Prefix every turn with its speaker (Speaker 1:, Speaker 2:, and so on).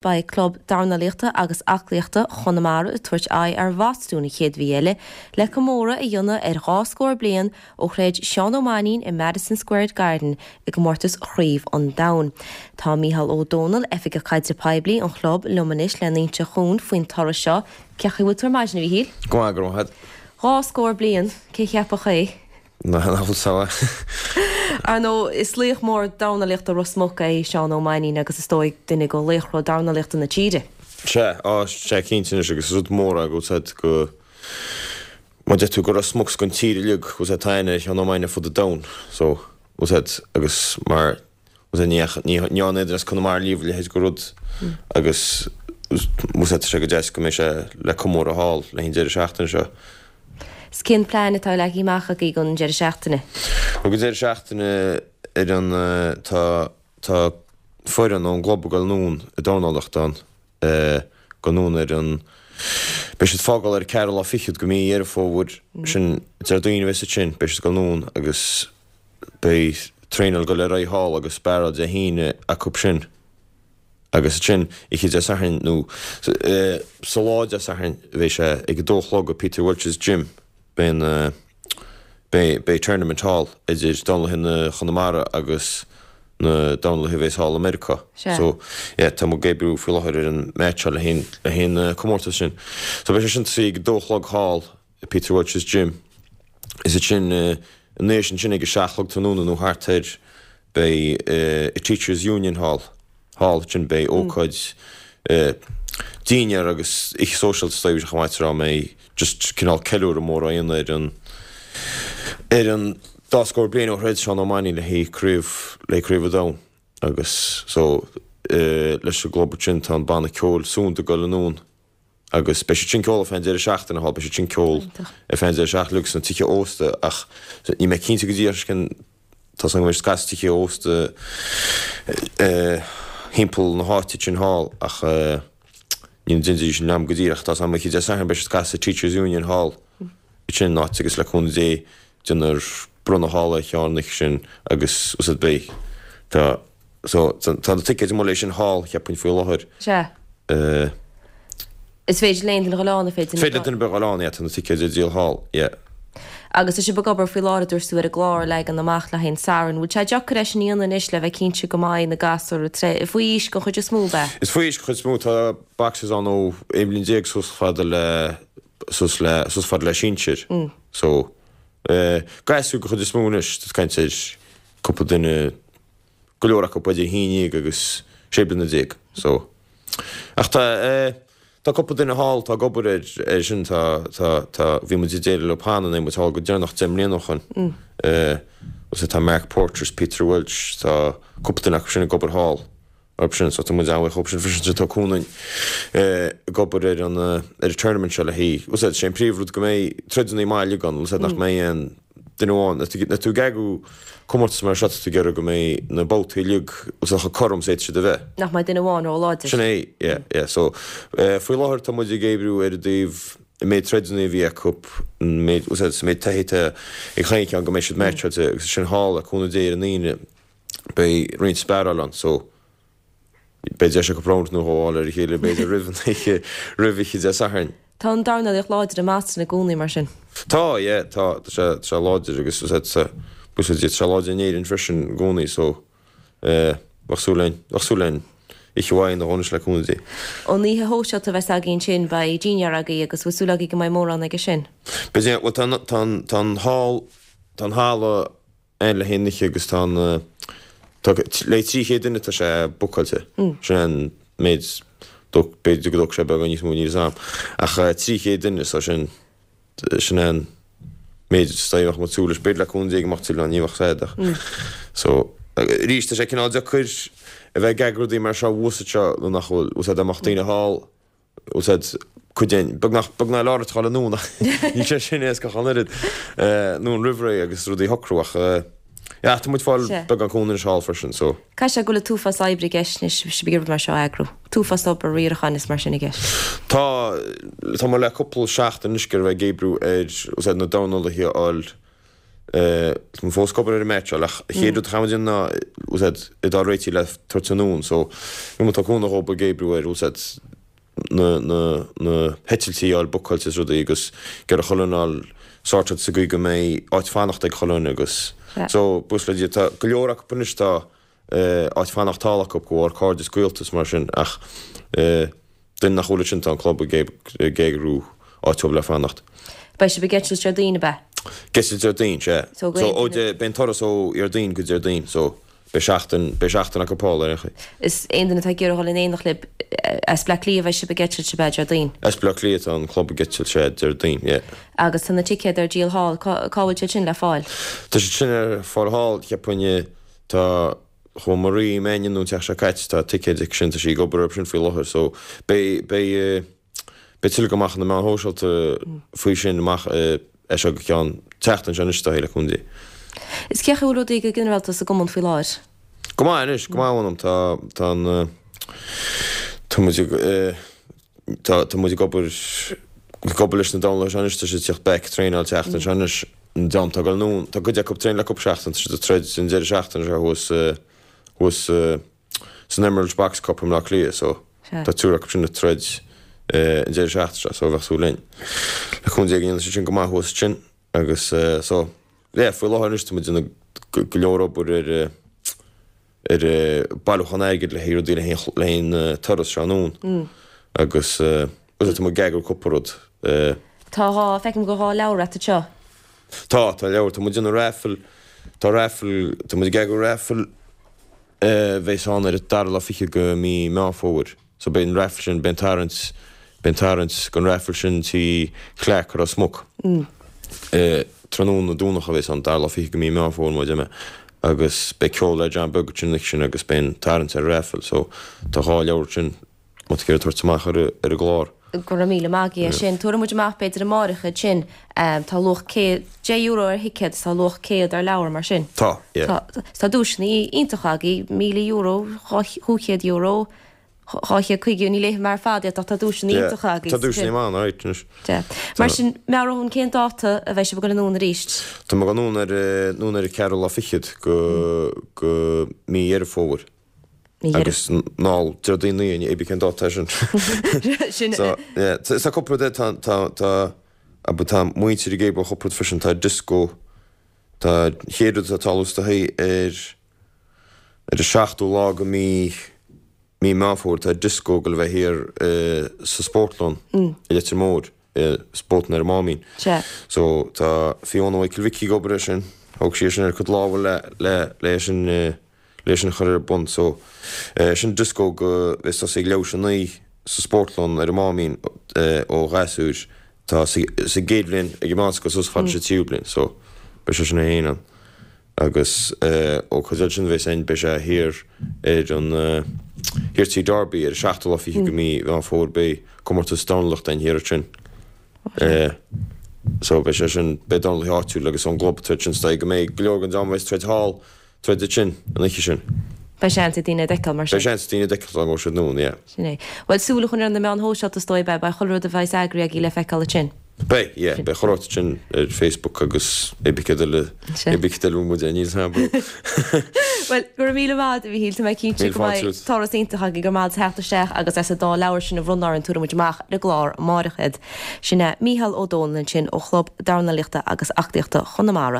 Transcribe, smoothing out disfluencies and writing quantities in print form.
Speaker 1: Beidh Club Dornálaíochta agus Aclaíochta Chonamara ag tabhairt aghaidh ar Bhostún an chéad mhí eile le comóradh a dhéanamh ar dhá scór bliain ó throid Seán Ó Mainnín i Madison Square Garden i gcomórtas Chraobh an Domhain. Tá Mícheál Ó Domhnaill, Oifigeach Caidrimh Poiblí an chlub, liom anois lena inseacht dhúinn faoin turas seo. Cén chaoi a bhfuil tú ar maidin, a Mhíchíl?
Speaker 2: Go maith, go raibh maith agat.
Speaker 1: Dhá scór bliain, cé cheapfadh é?
Speaker 2: Nach bhfuil samhail.
Speaker 1: Ar ndóigh, is laoch mór dornálaíochta Ros Muc é Seán Ó Mainnín agus is dóigh duine de laochra dornálaíochta na tíre.
Speaker 2: Sea, á, sea, cinnte anois agus is rud mór é go bhfuil 's a'd go, má deir tú go Ros Muc 's gon tír uilig, go bhfuil 's a'd tá aithne ar Sheán Ó Mainnín ar fud an domhain, so, bhfuil 's a'd agus mar, bhfuil 's a'd ní fhaca, ní dhearna aon duine as Conamara riamh a leithéid go rud agus bhfuil 's a'd tá sé go deas go mbeidh sé le comóradh thall le haghaidh an deireadh seachtaine seo.
Speaker 1: 'S cén plean atá leagtha amach agaibh don deireadh seachtaine?
Speaker 2: Bhuel, don deireadh seachtaine ar an, tá, tá foireann ón gclub ag dul anonn ag dornálaíocht ann, go anonn ar an, beidh siad fágáil ar an ceathrú lá fichead go mí Dheireadh Fómhair, sin Déardaoin a bheas ansin, beidh siad ag dul anonn agus beidh traenáil ag dul ar aghaidh thall agus sparáil Dé hAoine acu sin. Agus ansin, oíche Dé Sathairn, nó sa lá Dé Sathairn, bheidh sé ag a dó a chlog i Peter Walsh's Gym, beidh an, beidh, beidh tournament thall idir dornálaithe na Chonamara agus na dornálaithe a bheas thall i Meiriceá.
Speaker 1: Sea.
Speaker 2: So, yeah, tá muid ag oibriú faoi láthair ar an match le haghaidh, le haghaidh an comórtas sin. So beidh sé sin tosaithe ag a dó a chlog thall i Peter Walsh's Gym. Is ansin, ina dhiaidh sin ag a 7 a chlog tráthnóna nó thart air, beidh i Teachers Union Hall, thall ansin, beidh ócáid dinnéar agus oíche sóisialta is dóigh chomh maith tráth a mbeidh just cineál ceiliúradh mór á dhéanamh ar an ar an dá scór bliain ó throid Seán Ó Mainnín le haghaidh craobh le haghaidh craobh an domhain agus so leis an gclub ansin tá an banna ceoil Sunda ag dul anonn. Agus beidh siad sin ceol ar feadh an deireadh seachtaine thall, beidh siad sin ceol ar feadh an deireadh seachtaine uilig sna tithe ósta ach níl mé cinnte go díreach cén, tá 's agam go mbeidh siad ag casadh tithe ósta thimpeall na háite sin thall ach níl an dindí sin agam go díreach, tá 's agam oíche Dé Sathairn beidh siad ag casadh Teachers Union Hall sin an áit agus le cúnamh Dé déanfar bronnadh thall ar Sheán an oíche sin agus úsáid beidh tá So, tá na ticéid amuigh leis sin thall, cheapfainn, faoi láthair.
Speaker 1: Sea. Is féidir le aon duine dhul ann, an féidir?
Speaker 2: Féidir le duine ar bith dhul ann, yeah, tá na ticéid ar díol thall, yeah.
Speaker 1: Agus tá sibh ag obair faoi láthair, a dúirt tú, ar an gclár a leagan amach le haghaidh an Satharn. Bhfuil sé deacair é sin a dhéanamh anois le bheith cinnte go mbeidh na gasúir faoi aois den chuid is mó, ab ea?
Speaker 2: Is faoi aois den chuid is mó. Tá boxers ann ó 11 bliain suas fada le, suas le, suas fada le sinsir. So, gasúir den chuid is mó anois, tá caint ar cúpla duine, go leor acu idir 11 agus 16 bliana so ach tá eh tá cúpla duine thall atá ag obair air air sin tá tá tá bhí muid ag déileáil leo cheana nuair a bhí muid thall go deireanach 10 mbliana ó shoin eh so tá Mark Porter is Peter Welch tá cúpla duine acu sin ag obair thall orthu sin so tá muid an-bhuíoch dhóibh sin freisin tá cúnamh eh ag obair ar an eh ar an tournament seo le haghaidh bhfuil 's a'd sé an príomhrud go mbeidh troideanna maith uilig ann bhfuil 's a'd nach mbeidh aon duine amháin, nuair tú ag eagrú comórtas mar seo tá tú ag iarraidh go mbeidh na babhtaí uilig bhfuil 's a'd chomh cothrom is a fhéadfaidh siad a bheith.
Speaker 1: Nach mbeidh duine amháin ró-láidir.
Speaker 2: Sin é, yeah, yeah. So, faoi láthair tá muid ag oibriú ar an dtaobh an méid troideanna a bhí acu, an méid, bhfuil 's a'd, an méid taithí atá ag chaon cheann go mbeidh siad meaitseáilte agus ansin thall le cúnamh Dé ar an Aoine beidh roinnt sparáil ann so beidh deis acu round nó dhó a fháil ar a chéile b'fhéidir roimh an oíche, roimh oíche Dé Sathairn.
Speaker 1: Tá an dornálaíocht láidir i mBoston i gcónaí mar sin.
Speaker 2: Tá, yeah, tá, tá sé, tá sé láidir agus tá sé, tá sé láidir in Éirinn freisin i gcónaí so eh bheadh súil linn, bheadh súil linn oíche mhaith a dhéanamh le cúnamh Dé.
Speaker 1: An oíche shóisialta a bheas agaibh ansin, beidh dinnéar agaibh agus bhfuil súil agaibh go mbeidh mórán aige sin?
Speaker 2: Beidh, yeah, bhuel tá an, tá an, tá an hall, tá an halla ann le haghaidh an oíche agus tá an, tá, le 300 duine tá sé bookáilte. Sin é an méid, b'fhéidir go dtógfaidh sé beagán níos mó, níl 'fhios a'm. Ach 300 duine, so sin, sin é an méid is dóigh a mbeadh muid ag súil leis. B'fhéidir le cúnamh Dé go mbeadh tuilleadh ann, ní bheadh fad ach. So, arís tá sé cineál deacair a bheith ag eagrú rudaí mar seo thuas anseo nuair nach bhfuil, bhfuil 's a'd dá mbeadh daoine thall, Bhfuil 's a'd cuid den, beagnach, beagnach leor ag dul anonn ach níl sé sin éasca ach an oiread, anonn roimh ré agus rudaí a shocrú ach yeah tá muid fáil beagán cúnamh anois thall freisin so.
Speaker 1: Caithfidh sé go bhfuil an t-uafás oibre i gceist anois, sibh ag iarraidh rud mar seo a eagrú. T-uafás obair riaracháin is mar sin i gceist.
Speaker 2: Tá, tá muid le cúpla seachtain anois ag bheith ag oibriú ar, bhfuil 's a'd na dornálaithe a fháil. Tá muid fós ag obair ar an meaitseáil ach an chéad rud a chaithfidh muid a dhéanamh ná, bhfuil a fhios a'd, iad a fháil réitithe le tabhairt anonn so bhí muid tá cúnamh dhób ag oibriú ar, bhfuil a fhios a'd, na, na, na heitiltí a fháil bookáilte is rudaí agus ag iarraidh chuile dhuine a fháil sorted sa gcaoi go mbeidh áit fanachta ag chuile dhuine agus so, buíochas le Dia, tá go leor acu anois tá áit fanacht thall acu de bharr cairde is gaolta is mar sin ach duine nach bhfuil ansin tá an club ag eagrú áit dóibh le fanacht.
Speaker 1: Beidh sibh ag eitilt Déardaoin, ab ea?
Speaker 2: Ag eitilt Déardaoin, sea. So ó beidh an turas ó Dhéardaoin go Déardaoin so beidh seachtain, beidh seachtain acu thall ar aon chaoi.
Speaker 1: Is aon duine atá ag iarraidh dhul in éineacht libh, as Bleá Cliath a bheidh sibh ag eitilt, ab ea, Déardaoin?
Speaker 2: As Bleá Cliath tá an club ag eitilt, sea, Déardaoin, yeah.
Speaker 1: Agus tá na ticéid ar díol thall, cá bhfuil siad sin le fáil?
Speaker 2: Tá siad sin ar fáil thall, cheapfainn i. Tá, chuaigh Marie Mannion anonn an tseachtain seo caite, tá ticéid aici sin, tá sí ag obair orthu sin faoi láthair so beidh, beidh, beidh tuilleadh amach ar na meáin shóisialta faoi sin amach as seo go ceann tseachtain seo anois is dóigh, le cúnamh Dé.
Speaker 1: Is cén chaoi a bhfuil rudaí go ginearálta sa gcumann faoi láthair?
Speaker 2: Go maith anois, go maith mh'anam, tá, tá an, tá muid ag, Tá, tá muid ag obair, ag obair leis na dornálaithe seo anois, tá siad ag teacht back, traenáil tseachtain seo anois, an dream atá ag dul anonn, tá cuid acu ag traenáil le cúpla seachtain, tá siad ag troid an deireadh seachtaine seo thuas, thuas san Emerald Box Cup i mBleá Cliath, so tá triúr acu sin ag troid an deireadh seachtaine seo, so bheadh súil linn, le cúnamh Dé go ndéanfaidh siad sin go maith thuas ansin agus so, yeah, faoi láthair anois tá muid ag déanamh go leor obair ar, ar bailiúchán airgid le haghaidh rudaí le haghaidh an turas seo anonn agus bhuel tá muid ag eagrú cúpla rud.
Speaker 1: Tá dhá, feicim go bhfuil dhá leabhar agat anseo.
Speaker 2: Tá, tá leabhar, tá muid ag déanamh raffle, tá raffle, tá muid ag eagrú raffle a bheas ann ar an dara lá fichead de mí Meán Fómhair. So beidh an raffle sin, beidh an tarraingt, beidh an tarraingt don raffle sin Tigh Clarke i Ros Muc. Tráthnóna Domhnach a bheas ann, dara lá fichead de mí Meán Fómhair mar a deir mé, agus beidh ceol le John Beag ansin an oíche sin agus beidh an tarraingt ar an raffle. So tá dhá leabhar ansin má tá tú ag iarraidh tabhairt amach ar an gclár.
Speaker 1: Go raibh míle maith agat as sin. Tabharfaidh muid amach b'fhéidir amáireach iad sin. Tá luach céad, €10 ar thicéad is tá luach 100 ar leabhar mar sin.
Speaker 2: Tá, yeah.
Speaker 1: Tá, tá duaiseanna iontacha agaibh, €1,000, €200, 250, ní léifidh mé ar fad iad ach tá duaiseanna iontacha agaibh.
Speaker 2: Tá duaiseanna maith ann, alright, anois.
Speaker 1: Yeah. Mar sin, meabhraigh dhúinn cén dáta a bheidh sibh ag dul anonn arís?
Speaker 2: Tá muid ag dul anonn ar, anonn ar an ceathrú lá fichead go, go mí Dheireadh Fómhair.
Speaker 1: Mí Dheireadh.
Speaker 2: Agus anall Déardaoin naoi, cibé cén dáta é sin.
Speaker 1: Sin.
Speaker 2: So, yeah, tá cúpla rud, tá, tá, tá, abair tá muintir ag obair ar chúpla rud freisin, tá disco, tá an chéad rud atá ag tarlú is dóigh ar, Ar an seachtú lá de mí mí Meán Fómhair tá dioscó ag dul a bheith thiar sa Spórtlann i Leitir Móir, Spórtlann ar an Máimín. So tá Fiona Mhichael Mhicí ag obair air sin, thóg sí é sin ar a cuid lámha le le le é sin le é sin a chur ar bun. So sin dioscó a bheas ag tosú ag leathuair tar éis a naoi sa Spórtlann ar an Máimín ó ghasúir atá sa gcéad bhliain ag an meánscoil suas fad leis an tríú bliain. So beidh sé sin é féin ann. Agus ócáid eile sin a bheas ann, beidh sé thiar ar an, thiar Tigh Darby ar an seachtú lá fichead de mí Mheán Fómhair, beidh comórtas dornálaíochta ann thiar ansin. So beidh sé sin, beidh dornálaithe áitiúil agus ón gclub ag troid sin, is dóigh go mbeidh go leor den dream a bheas ag troid thall, troid ansin, an oíche sin.
Speaker 1: Beidh seans ag daoine iad a fheiceáil mar
Speaker 2: sin. Beidh seans ag daoine iad a fheiceáil dá ngabhfaidh siad anonn, yeah.
Speaker 1: Sin é. Bhuel, súil a choinneáil ar na meáin shóisialta is dóigh, beidh, beidh chuile rud a bheas eagraithe agaibh le feiceáil ansin.
Speaker 2: Beidh, yeah, beidh chuile shórt ansin ar Facebook agus cibé céard eile, cibé céard eile a bhfuil muid ar, níl 's agam.
Speaker 1: Bhuel, go raibh míle maith agat, a Mhíchíl, tá mé cinnte go mbeidh turas iontach agaibh, go raibh maith agat as theacht isteach agus as an dá leabhar sin a bhronnadh orainn, tabharfaidh muid amach ar an gclár amáireach iad. Sin é Mícheál Ó Domhnaill ansin ó Chlub Dornálaíochta agus Aclaíochta Chonamara.